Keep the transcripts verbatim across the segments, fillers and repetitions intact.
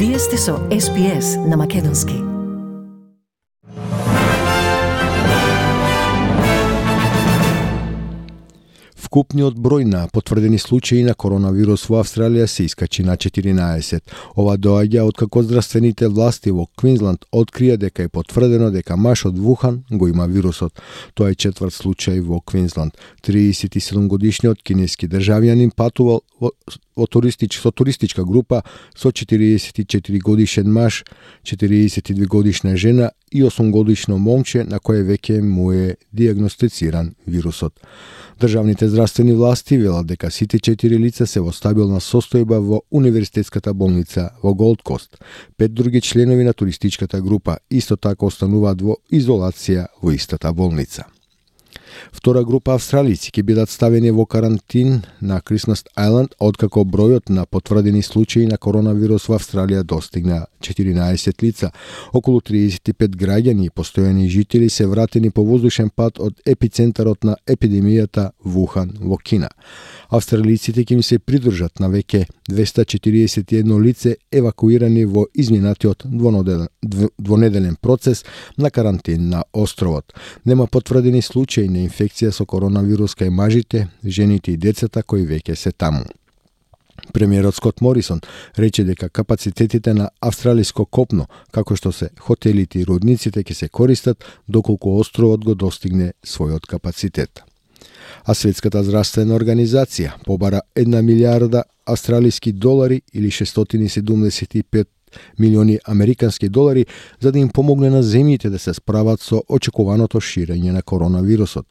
Вие сте со Ес Би Ес на Македонски. Вкупниот број на потврдени случаи на коронавирус во Австралија се искачи на четиринаесет. Ова доаѓа откако здравствените власти во Квинсланд открија дека е потврдено дека маж од Вухан го има вирусот. Тоа е четврт случај во Квинсланд. триесет и седум годишниот кинески државјанин патувал во, во туристич, со туристичка група со четириесет и четири годишен маж, четириесет и две годишна жена и осум годишно момче на кое веќе му е диагностициран вирусот. Државните здравствени власти велат дека сите четири лица се во стабилна состојба во универзитетската болница во Голд Кост. Пет други членови на туристичката група исто така остануваат во изолација во истата болница. Втора група австралици ќе бидат ставени во карантин на Крисмас Ајланд, откако бројот на потврдени случаи на коронавирус во Австралија достигна четиринаесет лица. Околу триесет и пет граѓани и постојани жители се вратени по воздушен пат од епицентарот на епидемијата Вухан во Кина. Австралиците ќе им се придружат на веќе двесте четириесет и едно лице евакуирани во изминатиот двонеделен процес на карантин на островот. Нема потврдени случаи на инфекција со коронавирус кај мажите, жените и децата кои веќе се таму. Премиерот Скот Морисон рече дека капацитетите на австралиско копно, како што се хотелите и рудниците, ќе се користат доколку островот го достигне својот капацитет. А Светската здравствена организација побара една милијарда австралиски долари или шестстотини седумдесет и пет милиони американски долари за да им помогне на земјите да се справат со очекуваното ширење на коронавирусот.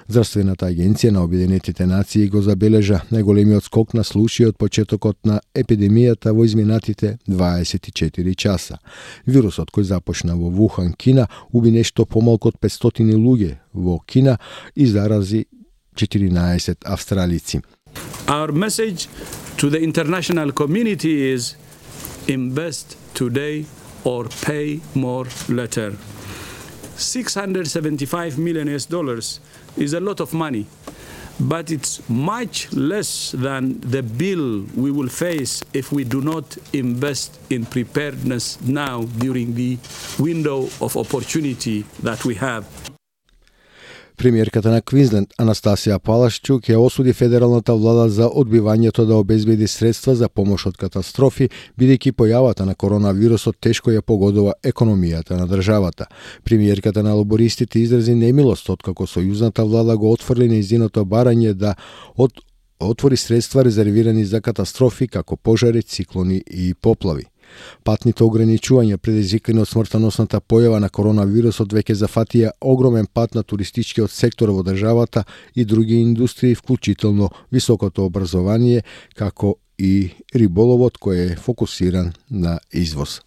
Здравствената агенција на Обединетите нации го забележа најголемиот скок на случаи од почетокот на епидемијата во изминатите дваесет и четири часа. Вирусот кој започна во Вухан, Кина, уби нешто помалку од петстотини луѓе во Кина и зарази четиринаесет австралици. Our message to the international community is invest today or pay more later. six hundred seventy-five million U S dollars is a lot of money, but it's much less than the bill we will face if we do not invest in preparedness now during the window of opportunity that we have. Премиерката на Квинсленд Анастасија Палашчук ја осуди федералната влада за одбивањето да обезбеди средства за помош од катастрофи, бидејќи појавата на коронавирусот тешко ја погодува економијата на државата. Премиерката на лабористите изрази немилост откако сојузната влада го отфрли нејзиното барање да од отвори средства резервирани за катастрофи како пожари, циклони и поплави. Патните ограничувања предизвикани од смртоносната појава на коронавирусот веќе зафатија огромен пат на туристичкиот сектор во државата и други индустрии, вклучително високото образование, како и риболовот кој е фокусиран на извоз.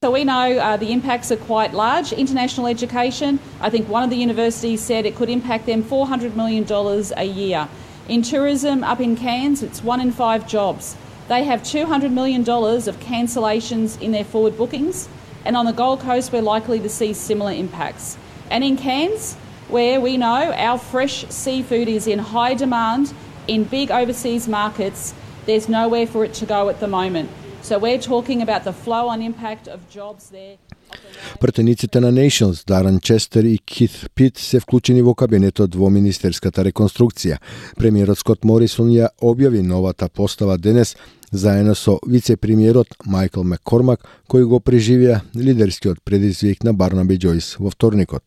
So we know uh, the impacts are quite large. International education, I think one of the universities said it could impact them four hundred million dollars a year. In tourism up in Cairns, it's one in five jobs. They have two hundred million dollars of cancellations in their forward bookings, and on the Gold Coast we're likely to see similar impacts. And in Cairns, where we know our fresh seafood is in high demand in big overseas markets, there's nowhere for it to go at the moment. So we're talking about the flow on impact of jobs there. Пратениците на Nations, Даран Честер и Кит Пит се вклучени во кабинетот во министерската реконструкција. Премиерот Скот Морисон ја објави новата постава денес заедно со вице-премиерот Майкл Маккормак, кој го преживеа лидерскиот предизвик на Барнаби Џојс во вторникот.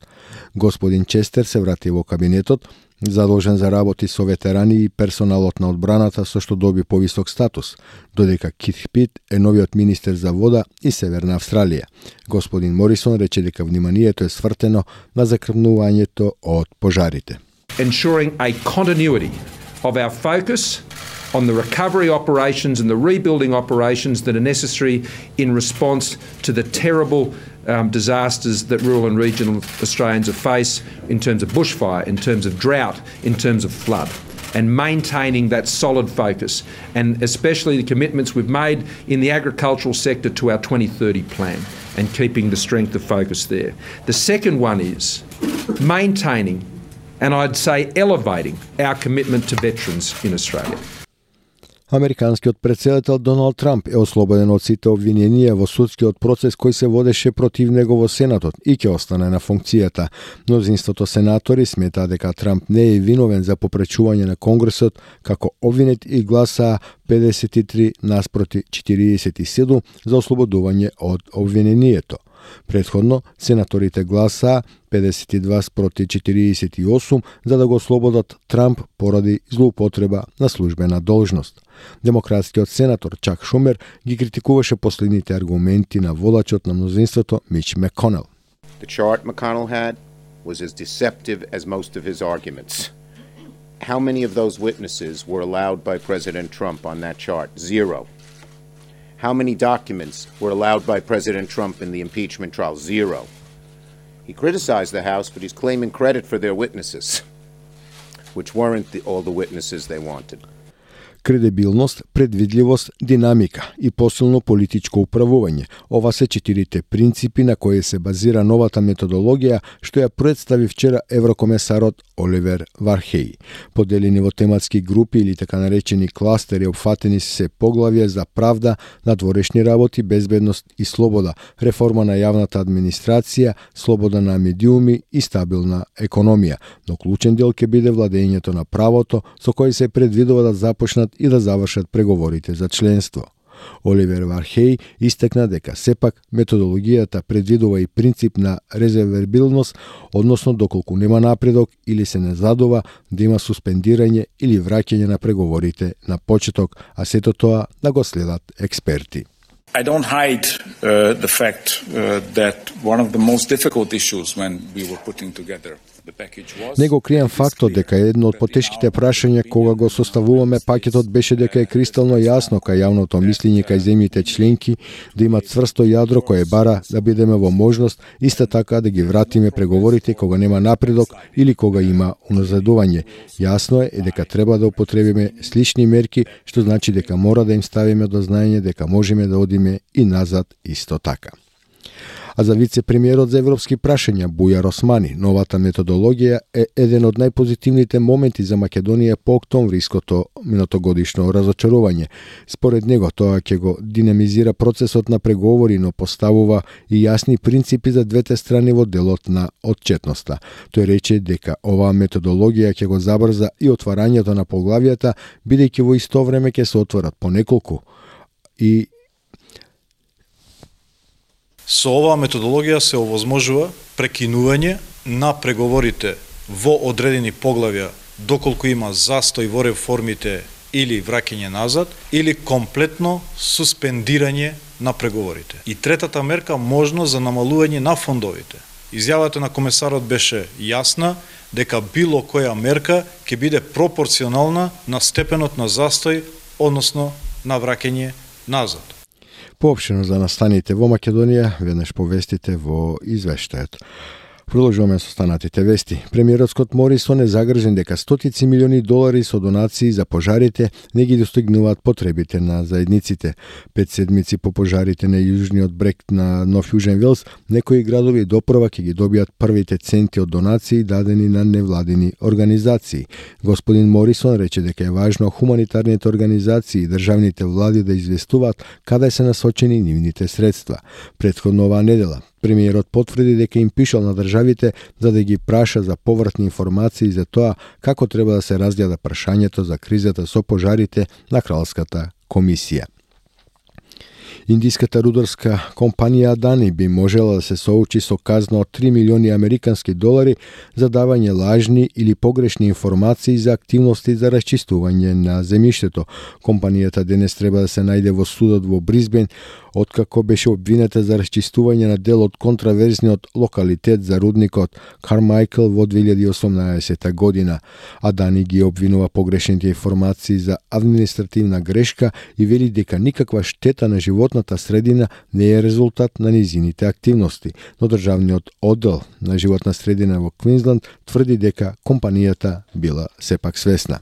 Господин Честер се врати во кабинетот, задолжен за работи со ветерани и персоналот на одбраната, со што доби повисок статус, додека Кит Пит е новиот министер за вода и Северна Австралија. Господин Морисон рече дека вниманието е свртено на закрнувањето од пожарите. Ensuring a continuity of our focus on the recovery operations and the rebuilding operations that are necessary in response to the terrible um, disasters that rural and regional Australians face in terms of bushfire, in terms of drought, in terms of flood, and maintaining that solid focus, and especially the commitments we've made in the agricultural sector to our twenty thirty plan, and keeping the strength of focus there. The second one is maintaining, and I'd say elevating, our commitment to veterans in Australia. Американскиот претседател Доналд Трамп е ослободен од сите обвиненија во судскиот процес кој се водеше против него во Сенатот и ќе остане на функцијата. Мнозинството сенатори сметаа дека Трамп не е виновен за попречување на Конгресот како обвинет и гласаа педесет и три наспроти четириесет и седум за ослободување од обвинението. Предходно, сенаторите гласаа педесет и два спроти четириесет и осум за да го ослободат Трамп поради злоупотреба на службена должност. Демократскиот сенатор Чак Шумер ги критикуваше последните аргументи на водачот на мнозинството Мич Маконел. The chart McConnell had was as deceptive as most of his arguments. How many of those witnesses were allowed by President Trump on that chart? Zero. How many documents were allowed by President Trump in the impeachment trial? Zero. He criticized the House, but he's claiming credit for their witnesses, which weren't the, all the witnesses they wanted. Кредибилност, предвидливост, динамика и посилно политичко управување. Ова се четирите принципи на кои се базира новата методологија што ја представи вчера еврокомесарот Оливер Вархеј. Поделени во тематски групи или така наречени кластери, опфатени се поглавја за правда, надворешни работи, безбедност и слобода, реформа на јавната администрација, слобода на медиуми и стабилна економија. Но клучен дел ќе биде владењето на правото, со кој се предвидува да започнат и да завршат преговорите за членство. Оливер Вархеј истакна дека сепак методологијата предвидува и принцип на резервабилност, односно доколку нема напредок или се не задува да има суспендирање или враќање на преговорите на почеток, а сето тоа да го следат експерти. I don't hide uh, the fact uh, that one of the most difficult issues when we were putting together the package was... Не го крием фактот дека едно од потешките прашања кога го составуваме пакетот беше дека е кристално јасно кај јавното мислење кај земјите членки да имат цврсто јадро кое бара да бидеме во можност иста така да ги вратиме преговорите кога нема напредок или кога има уназадување. Јасно е дека треба да употребиме слични мерки, што значи дека мора да им ставиме до знаење дека можеме да одиме и назад исто така. А за вице-премиерот за европски прашања Бујар Османи, новата методологија е еден од најпозитивните моменти за Македонија по октомвриското минатогодишно разочарување. Според него тоа ќе го динамизира процесот на преговори, но поставува и јасни принципи за двете страни во делот на отчетноста. Тој рече дека оваа методологија ќе го забрза и отварањето на поглавјата, бидејќи во исто време ќе се отворат по неколку и Со оваа методологија се овозможува прекинување на преговорите во одредени поглавја доколку има застој во реформите или враќање назад, или комплетно суспендирање на преговорите. И третата мерка, можност за намалување на фондовите. Изјавата на комесарот беше јасна дека било која мерка ќе биде пропорционална на степенот на застој, односно на враќање назад. Поопштено за настаните во Македонија, веднаш повестите во извештајот. Продолжуваме со останатите вести. Премиерот Скот Морисон е загрижен дека стотици милиони долари со донации за пожарите не ги достигнуваат потребите на заедниците. Пет седмици по пожарите на јужниот брег на Нов Јужен Велс, некои градови допрва ќе ги добијат првите центи од донации дадени на невладини организации. Господин Морисон рече дека е важно хуманитарните организации и државните влади да известуваат каде се насочени нивните средства. Претходно оваа недела премиерот потврди дека им пишал на државите за да ги праша за повратни информации за тоа како треба да се разгледа прашањето за кризата со пожарите на Кралската комисија. Индиската рударска компанија Адани би можела да се соочи со казна од три милиони американски долари за давање лажни или погрешни информации за активности за расчистување на земјиштето. Компанијата денес треба да се најде во судот во Брисбен, откако беше обвинета за расчистување на дел од контраверзниот локалитет за рудникот Кармајкл во две илјади и осумнаесета година. Адани ги обвинува погрешните информации за административна грешка и вели дека никаква штета на животната средина не е резултат на низините активности, но државниот оддел на животна средина во Квинсланд тврди дека компанијата била сепак свесна.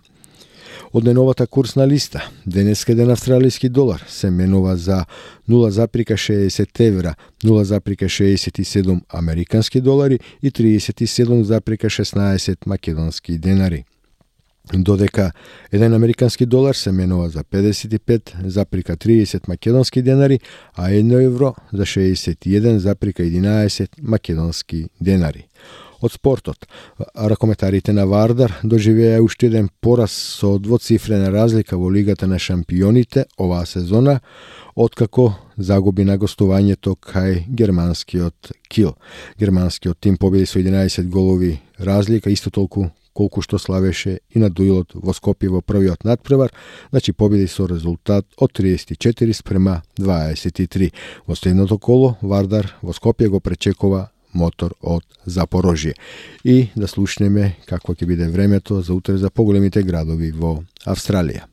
Од најновата курсна листа, денеска еден австралиски долар се менува за нула запирка шеесет евра, нула запирка шеесет и седум американски долари и триесет и седум запирка шеснаесет македонски денари. додека еден американски долар се менува за педесет и пет зарез триесет македонски денари, а едно евро за шеесет и еден зарез единаесет македонски денари. Од спортот, ракометарите на Вардар доживеа уште еден пораз со двоцифрена разлика во Лигата на шампионите оваа сезона, откако загуби на гостувањето кај германскиот Кил. Германскиот тим победи со единаесет голови разлика, исто толку колку што славеше и на дуелот во Скопје во првиот надпревар, значи победи со резултат од триесет и четири спрема дваесет и три. Во следното коло Вардар во Скопје го пречекува Мотор од Запорожје. И да слушнеме какво ќе биде времето за утре за поголемите градови во Австралија.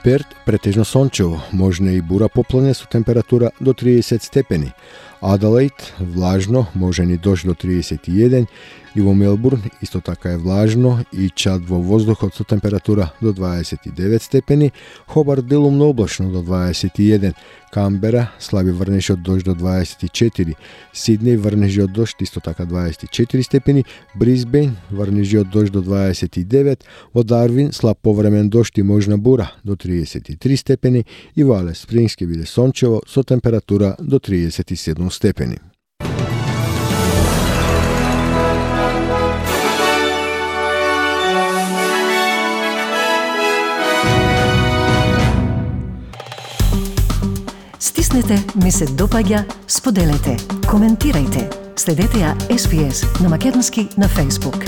Перт претежно сончево, можна и бура поплане со температура до триесет степени. Аделаид влажно, можен и дожд до триесет и еден, и во Мелбурн исто така е влажно и чад во воздухот со температура до дваесет и девет степени, Хобарт делумно облачно до дваесет и еден, Камбера слаби врнежи од дожд до дваесет и четири, Сиднеј врнежи од дожд исто така дваесет и четири степени, Брисбејн врнежи од дожд до дваесет и девет, во Дарвин слаб повремен дожд и можна бура до триесет и три степени и во Алис Спрингс ќе биде сончево со температура до триесет и седум степени. Стиснете ми се допаѓа, споделете, коментирајте. Следете ја Ес Би Ес на македонски на Facebook.